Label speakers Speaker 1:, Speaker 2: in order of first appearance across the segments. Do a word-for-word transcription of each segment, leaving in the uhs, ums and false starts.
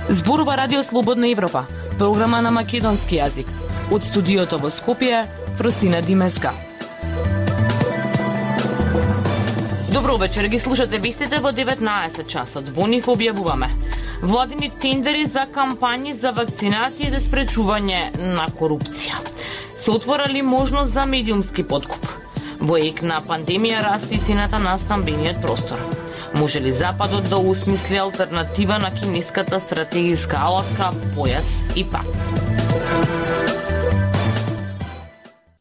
Speaker 1: Зборува Радио Слободна Европа, програма на македонски јазик. Од студиото во Скопје, Фростина Димеска. Добро вечер, ги слушате вестите во деветнаесет часот. Во нив објавуваме владини тендери за кампањи за вакцинација и за спречување на корупција. Се отворали можност за медиумски подкуп. Во ек на пандемија расти цената на стамбениот простор. Може ли Западот да осмисли алтернатива на кинеската стратегиска алатка појас и пак?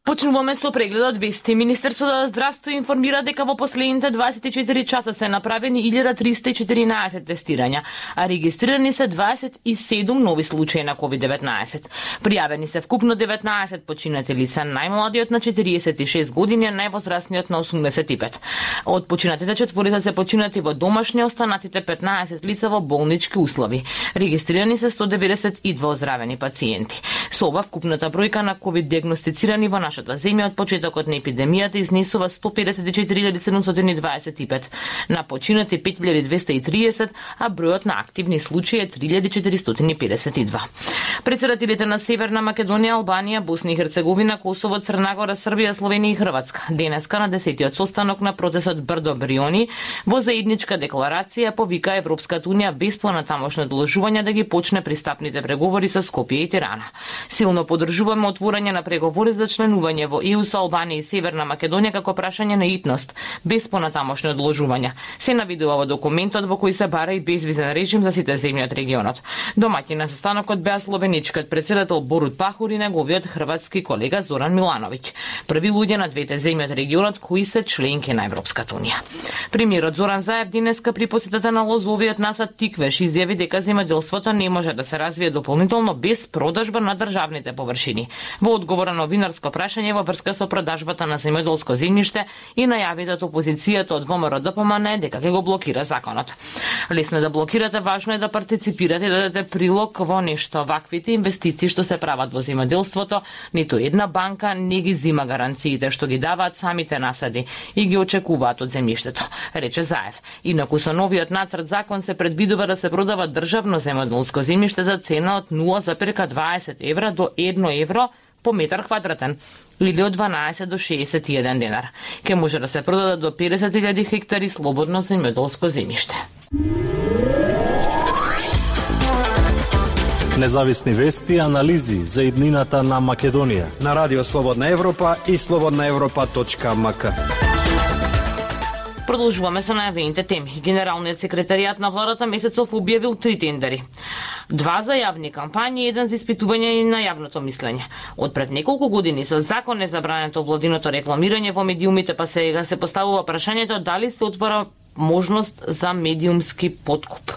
Speaker 1: Почнуваме со прегледот вести. Министерството за здравство информира дека во последните дваесет и четири часа се направени илјада триста и четиринаесет тестирања, а регистрирани се дваесет и седум нови случаи на ковид деветнаесет. Пријавени се вкупно деветнаесет починати лица, најмладиот на четириесет и шест години, а највозрастниот на осумдесет и пет. Од починатите четворица се починати во домашни, останатите петнаесет лица во болнички услови. Регистрирани се сто деветдесет и два оздравени пациенти. Со ова вкупната бројка на ковид диагностицирани во нашата земја од почетокот на епидемијата изнесува сто педесет и четири илјади седумстотини дваесет и пет, на починати пет илјади двесте и триесет, а бројот на активни случаи е три илјади четиристотини педесет и два. Претседателите на Северна Македонија, Албанија, Босна и Херцеговина, Косово, Црна Гора, Србија, Словенија и Хрватска денеска на десетиот состанок на процесот Брдо Бриони во заедничка декларација повика Европската унија без понатамошно одложување да ги почне пристапните преговори со Скопје и Тирана. Силно поддржуваме отворање на преговори за членување во ЕУ со Албанија и Северна Македонија како прашање на итност, без понатамошно одложување. Се навидува во документот во кој се бара и безвизен режим за сите земји од регионот. Домаќин на состанокот беа словеничкиот претседател Борут Пахор и неговиот хрватски колега Зоран Милановиќ, први луѓе на двете земји од регионот кои се членки на Европската унија. Премиерот Зоран Заев денеска при посетата на лозовиот насад Тиквеш изјави дека земјоделството не може да се развие дополнително без продажба на државните површини. Во одговор на новинарско прашање во врска со продажбата на земјоделско земјиште и најави дека опозицијата од ВМРО Д П М Н дека ќе го блокира законот. Лесно е да блокирате, важно е да партиципирате и да дадете прилог во нешто. Ваквите инвестиции што се прават во земјоделството, ниту една банка не ги зима гаранциите што ги даваат самите насади и ги очекуваат од земјиштето, рече Заев. Инаку со новиот нацрт закон се предвидува да се продава државно земјоделско земјиште за цена од нула зарез дваесет евра до едно евро по метар квадратен, или од дванаесет до шеесет и еден денар. Ке може да се продадат до педесет илјади хектари слободно земјоделско земјиште.
Speaker 2: Независни вести и анализи за иднината на Македонија
Speaker 3: на Радио Слободна Европа и слободна европа точка м к.
Speaker 1: Продолжуваме со најавените теми. Генералниот секретаријат на владата месецов објавил три тендери. Два за јавни кампањи и еден за испитување на јавното мислење. Од пред неколку години со закон е забрането владиното рекламирање во медиумите, па сега се поставува прашањето дали се отвора можност за медиумски подкуп.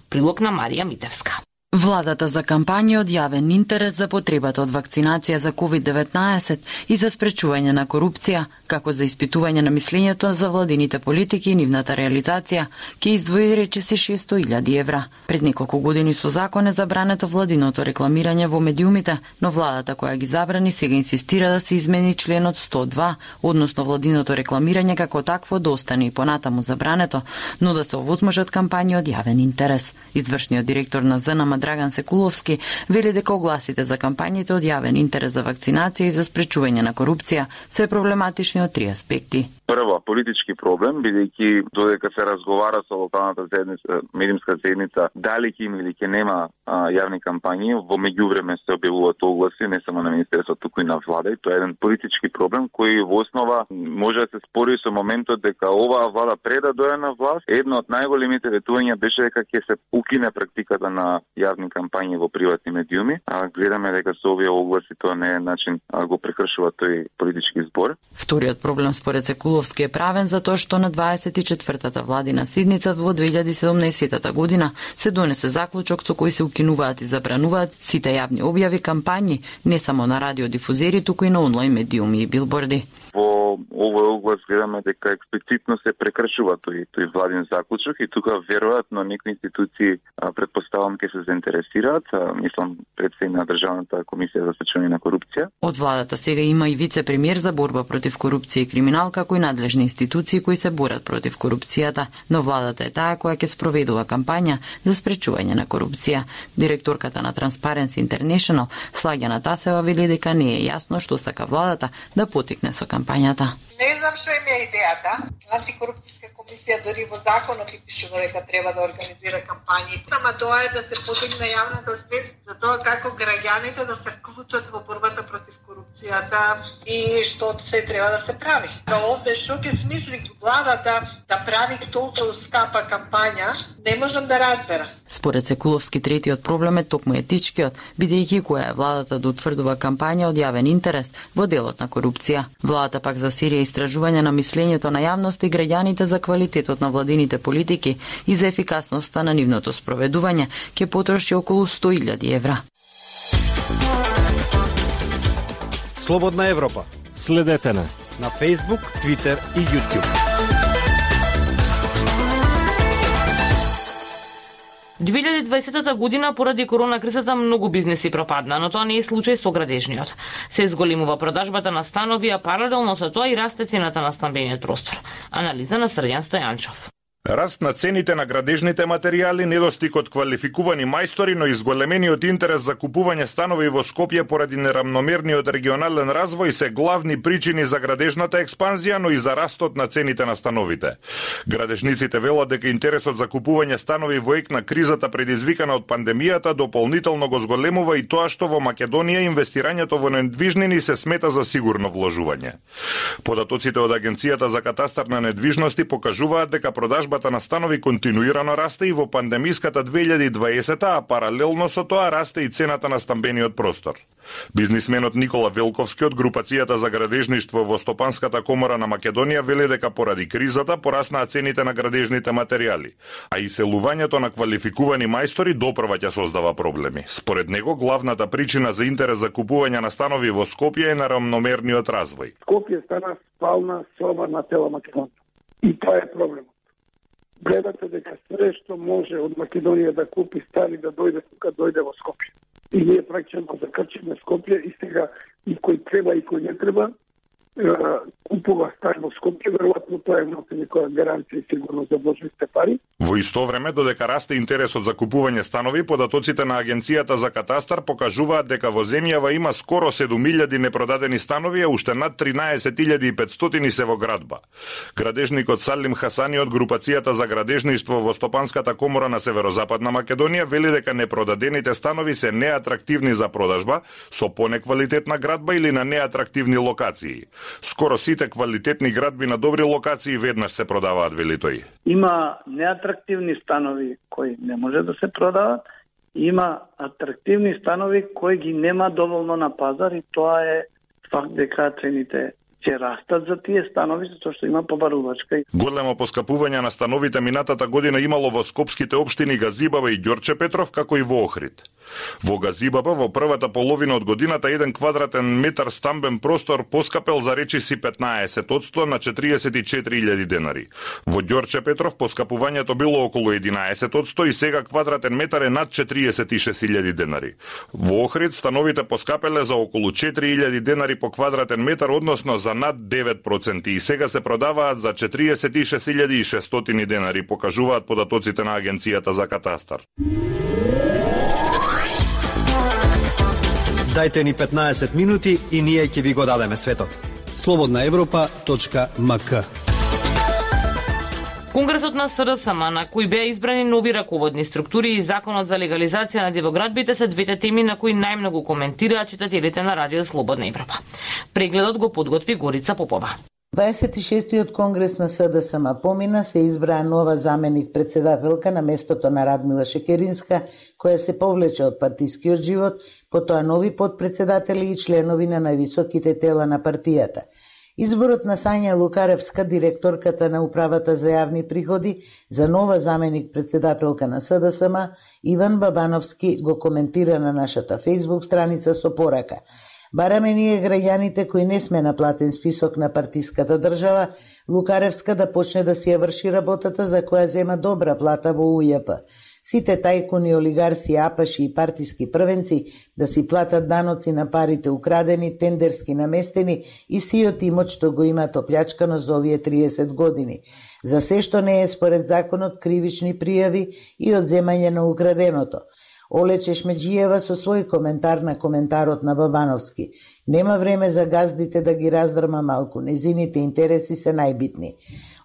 Speaker 1: Прилог на Марија Митевска.
Speaker 4: Владата за кампања од јавен интерес за потребата од вакцинација за ковид деветнаесет и за спречување на корупција, како за испитување на мислењето за владините политики и нивната реализација, ќе издвои речиси шесто илјади евра. Пред неколку години со закон е забрането владиното рекламирање во медиумите, но владата која ги забрани сега инсистира да се измени членот сто и два, односно владиното рекламирање како такво да остане и понатаму забрането, но да се овозможат кампањи од јавен интерес. Извршниот директор на З Н М Драган Секуловски вели дека огласите за кампањите од јавен интерес за вакцинација и за спречување на корупција се проблематични од три аспекти.
Speaker 5: Прво, политички проблем, бидејќи додека се разговара со локалната заедница, медиумска заедница, дали ќе има или ќе нема а, јавни кампањи, во меѓувреме се објавуваат огласи, не само на министерството, туку и на влада, и тоа е еден политички проблем кој во основа може да се спори со моментот дека оваа влада пред да дојде на власт, едно од најголемите ветувања беше дека ќе се укине практиката на јавни кампањи во приватни медиуми, а гледаме дека со овие огласи тоа не е начин а, го прекршува тој политички збор.
Speaker 4: Вториот проблем според Секуловски е правен за тоа што на дваесет и четвртата владина седница во две илјади и седумнаесетта година се донесе заклучок со кој се укинуваат и забрануваат сите јавни објави кампањи не само на радиодифузери, туку и на онлайн медиуми и билборди.
Speaker 5: во овој оглас гледаме дека експлицитно се прекршува тој тој владин заклучок и тука веројатно некои институции а, предпоставам ќе се заинтересираат, а, мислам пред се на Државната комисија за спречување на корупција.
Speaker 4: Од владата сега има и вице-премиер за борба против корупција и криминал, како и надлежни институции кои се борат против корупцијата, но владата е таа која ќе спроведува кампања за спречување на корупција. Директорката на Transparency International, Слагјана Тасева, вели дека не е јасно што сака владата да потикне со кампањата.
Speaker 6: Не знам што им е идејата. Антикорупцијска комисија дори во законот и пишува дека треба да организира кампањи. Ама тоа е да се подигне јавната свест за тоа како граѓаните да се вклучат во борбата против корупцијата и што се треба да се прави. Да овде што ќе смисли владата да прави толку скапа кампања, не можам да разберам.
Speaker 4: Според Секуловски, третиот проблем е токму етичкиот, бидејќи која е владата да утврдува кампања од јавен интерес во делот на корупција. Владата пак за серија истражување на мислењето на јавност и граѓаните за квалитетот на владините политики и за ефикасноста на нивното спроведување ќе потроши околу сто илјади евра.
Speaker 3: Слободна Европа.
Speaker 2: Следете на
Speaker 3: на Facebook, Twitter и YouTube.
Speaker 1: две илјади и дваесета година поради корона кризата многу бизнеси пропадна, но тоа не е случај со градежниот. Се зголемува продажбата на станови, а паралелно со тоа и расте цената на стамбениот простор. Анализа на Срдјан Стојанчов.
Speaker 7: Раст на цените на градежните материјали, недостиг од квалификувани мајстори, но и зголемениот интерес за купување станови во Скопје поради нерамномерниот регионален развој се главни причини за градежната експанзија, но и за растот на цените на становите. Градежниците велат дека интересот за купување станови во ек на кризата предизвикана од пандемијата дополнително го зголемува и тоа што во Македонија инвестирањето во недвижнини се смета за сигурно вложување. Податоците од Агенцијата за катастар на недвижности покажуваат дека продажба на станови континуирано расте и во пандемиската две илјади и дваесета, а паралелно со тоа расте и цената на стамбениот простор. Бизнисменот Никола Велковски од групацијата за градежништво во Стопанската комора на Македонија вели дека поради кризата пораснаа цените на градежните материјали, а и селувањето на квалификувани мајстори допрва ќе создава проблеми. Според него, главната причина за интерес за купување на станови во Скопје е нерамномерниот развој.
Speaker 8: Скопје стана спална соба на цела Македонија. И тоа е проблемот. Гледате дека све што може од Македонија да купи стани да дојде тука, дојде во Скопје. И ние пракчено закрчиме Скопје и сега и кој треба и кој не треба купува стан во Скопје, веројатно тоа е носи некоја гаранција и сигурно за вложените пари.
Speaker 7: Во исто време, додека расте интересот за купување станови, податоците на Агенцијата за катастар покажуваат дека во земјава има скоро седум илјади непродадени станови, а уште над тринаесет илјади и петстотини се во градба. Градежникот Салим Хасани од групацијата за градежништво во Стопанската комора на Северозападна Македонија вели дека непродадените станови се неатрактивни за продажба, со понеквалитетна градба или на неатрактивни локации. Скоро сите квалитетни градби на добри локации веднаш се продаваат, вели тој.
Speaker 9: Има неатрактивни станови кои не може да се продават, има атрактивни станови кои ги нема доволно на пазар и тоа е факт дека цените ќе растат за тие станови, затоа што има побарувачка.
Speaker 7: Големо поскапување на становите минатата година имало во скопските општини Газибаба и Ѓорче Петров, како и во Охрид. Во Газибаба во првата половина од годината еден квадратен метар стамбен простор поскапел за речиси петнаесет одсто на четириесет и четири илјади денари. Во Ѓорче Петров поскапувањето било околу единаесет одсто и сега квадратен метар е над четириесет и шест илјади денари. Во Охрид становите поскапеле за околу четири илјади денари по квадратен метар, односно за над девет проценти и сега се продаваат за четириесет и шест илјади и шестстотини денари, покажуваат податоците на Агенцијата за катастар.
Speaker 3: Дајте ни петнаесет минути и ние ќе ви го дадеме светот. слободна европа точка ем ка.
Speaker 1: Конгресот на С Р С М, на кој беа избрани нови раководни структури и законот за легализација на дивоградбите се двете теми на кои најмногу коментираат читателите на Радио Слободна Европа. Прегледот го подготви Горица Попова.
Speaker 10: дваесет и шестиот конгрес на С Д С М помина, се избраа нова заменик председателка на местото на Радмила Шекеринска, која се повлече од партискиот живот, потоа нови подпредседатели и членови на највисоките тела на партијата. Изборот на Сања Лукаревска, директорката на Управата за јавни приходи, за нова заменик председателка на С Д С М, Иван Бабановски го коментира на нашата фејсбук страница со порака: Бараме ние граѓаните кои не сме на платен список на партиската држава, Лукаревска да почне да си ја врши работата за која зема добра плата во У Ј П. Сите тајкуни, олигарси, апаши и партиски првенци да си платат даноци на парите украдени, тендерски наместени и сиот имот што го имат оплячкано за овие триесет години. За се што не е според законот кривични пријави и одземање на украденото. Оле Чешмеджиева со свој коментар на коментарот на Бабановски. Нема време за газдите да ги раздрма малку, незините интереси се најбитни.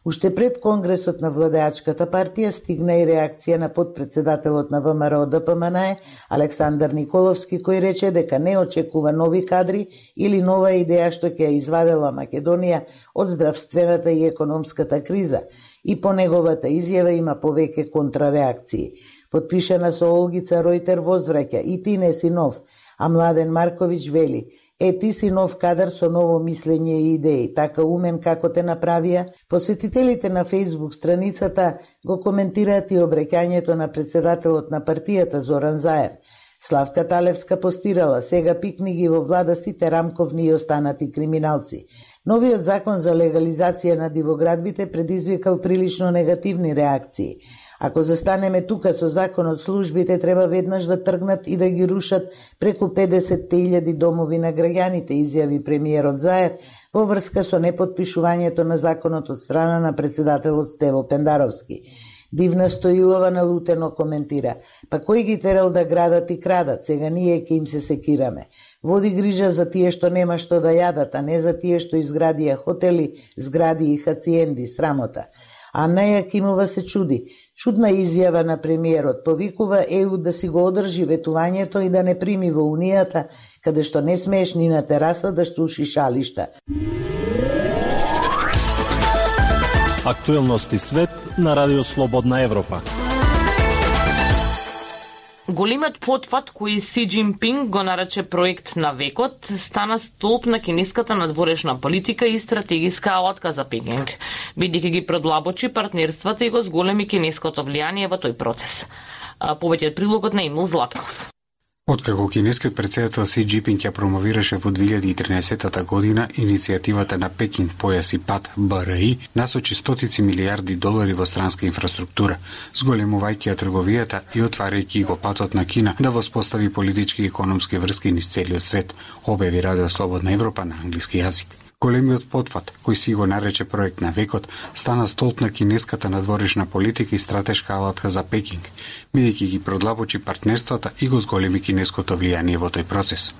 Speaker 10: Уште пред конгресот на владеачката партија стигна и реакција на подпредседателот на ВМРО Д П М Н Е Александар Николовски, кој рече дека не очекува нови кадри или нова идеја што ќе ја извадела Македонија од здравствената и економската криза, и по неговата изјава има повеќе контрареакции. Подпишана со Олгица Ройтер возвраќа: и ти не си нов, а Младен Марковиќ вели: е, ти си нов кадар со ново мислење и идеи, така умен како те направија. Посетителите на Фејсбук страницата го коментираат и обраќањето на председателот на партијата Зоран Заев. Славка Талевска постирала: сега пикни ги во влада сите рамковни и останати криминалци. Новиот закон за легализација на дивоградбите предизвикал прилично негативни реакции. Ако застанеме тука со законот, службите треба веднаш да тргнат и да ги рушат преку педесет илјади домови на граѓаните, изјави премиерот Заев во врска со непотпишувањето на законот од страна на председателот Стево Пендаровски. Дивна Стоилова налутено коментира: па кој ги терал да градат и крадат, сега ние ќе им се секираме. Води грижа за тие што нема што да јадат, а не за тие што изградија хотели, згради и хациенди, срамота. Анна Јакимова се чуди. Чудна изјава на премиерот, повикува Е У да си го одржи ветувањето и да не прими во Унијата, каде што не смееш ни на тераса да штуши шалишта.
Speaker 2: Актуелности свет на Радио Слободна Европа.
Speaker 1: Големиот потфат кој Си Џинпинг го нарече проект на векот стана столб на кинеската надворешна политика и стратегиска алатка за Пекинг, бидејќи ги продлабочи партнерствата и го зголеми кинеското влијание во тој процес. Повеќе од прилогот на Емил Златков.
Speaker 11: Откако кинескиот председател Си Џинпинг ја промовираше во две илјади и тринаесета година иницијативата на Пекинг појас и пат Б Р И, насочи стотици милиарди долари во странска инфраструктура, зголемувајќи ја трговијата и отварајќи го патот на Кина да воспостави политички и економски врски низ целиот свет, објави Радио Слободна Европа на англиски јазик. Големиот потфат, кој си го нарече проект на векот, стана столб на кинеската надворешна политика и стратешка алатка за Пекинг, бидејќи ги продлабочи партнерствата и го зголеми кинеското влијание во тој процес.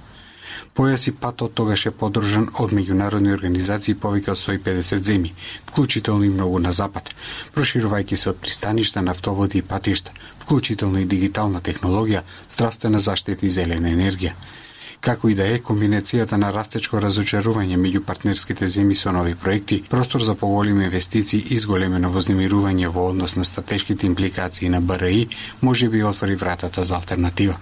Speaker 11: Појас и патот тогаш е подржан од меѓународни организации повеќе од сто и педесет земји, вклучително и многу на запад, проширувајќи се од пристаништа, нафтоводи и патишта, вклучително и дигитална технологија, здравствена заштита и зелена енергија. Како и да е, комбинацијата на растечко разочарување меѓу партнерските земји со нови проекти, простор за поголеми инвестиции и зголемено вознемирување во однос на стратешките импликации на Б Р И може би отвори вратата за алтернатива.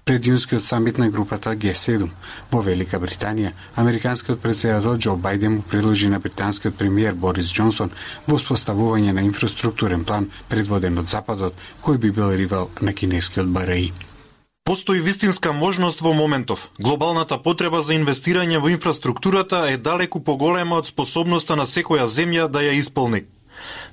Speaker 11: Пред јунскиот самит на групата Г седум во Велика Британија, американскиот председател Џо Бајден му предложи на британскиот премиер Борис Џонсон воспоставување на инфраструктурен план предводен од Западот, кој би бил ривал на кинескиот Б Р И.
Speaker 12: Постои вистинска можност во моментов. Глобалната потреба за инвестирање во инфраструктурата е далеку поголема од способноста на секоја земја да ја исполни.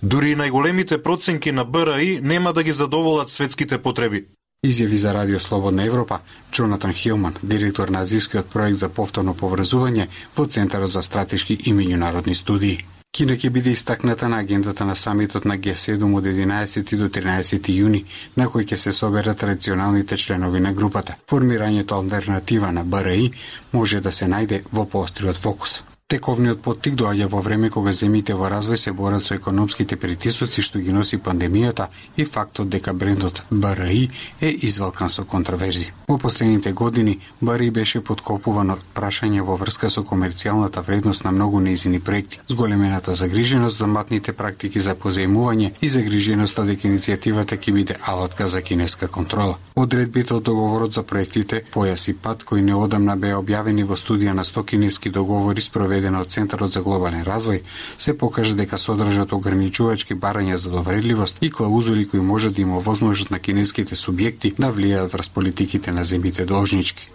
Speaker 12: Дури и најголемите проценки на Б Р И нема да ги задоволат светските потреби.
Speaker 11: Изјави за Радио Слободна Европа Джонатан Хилман, директор на азискиот проект за повторно поврзување во Центарот за стратешки и меѓународни студии. Кина ќе биде истакната на агендата на самитот на Г седум од единаесети до тринаесети јуни, на кој ќе се соберат традиционалните членови на групата. Формирањето алтернатива на Б Р И може да се најде во поостриот фокус. Тековниот поттик доаѓа во време кога земјите во развој се борат со економските притисоци што ги носи пандемијата и фактот дека брендот Б Р И е извалкан со контроверзи. Во последните години Б Р И беше подкопуван од прашање во врска со комерцијалната вредност на многу нејзини проекти, зголемената загриженост за матните практики за позајмување и загриженоста дека иницијативата ќе биде алатка за кинеска контрола. Одредбите од договорот за проектите Појас и пат, кои неодамна беа објавени во студија на сто кинески договори спроведена од Центарот за глобален развој, се покажа дека содржат ограничувачки барања за довредливост и клаузули кои може да им овозможат на кинеските субјекти да влијаат врз политиките на земјите должнички.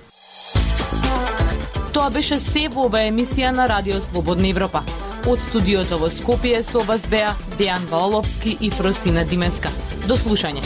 Speaker 1: Тоа беше се во ова емисија на Радио Слободна Европа. Од студиото во Скопје со вас беа Дејан Валаловски и Фростина Димеска. До слушање.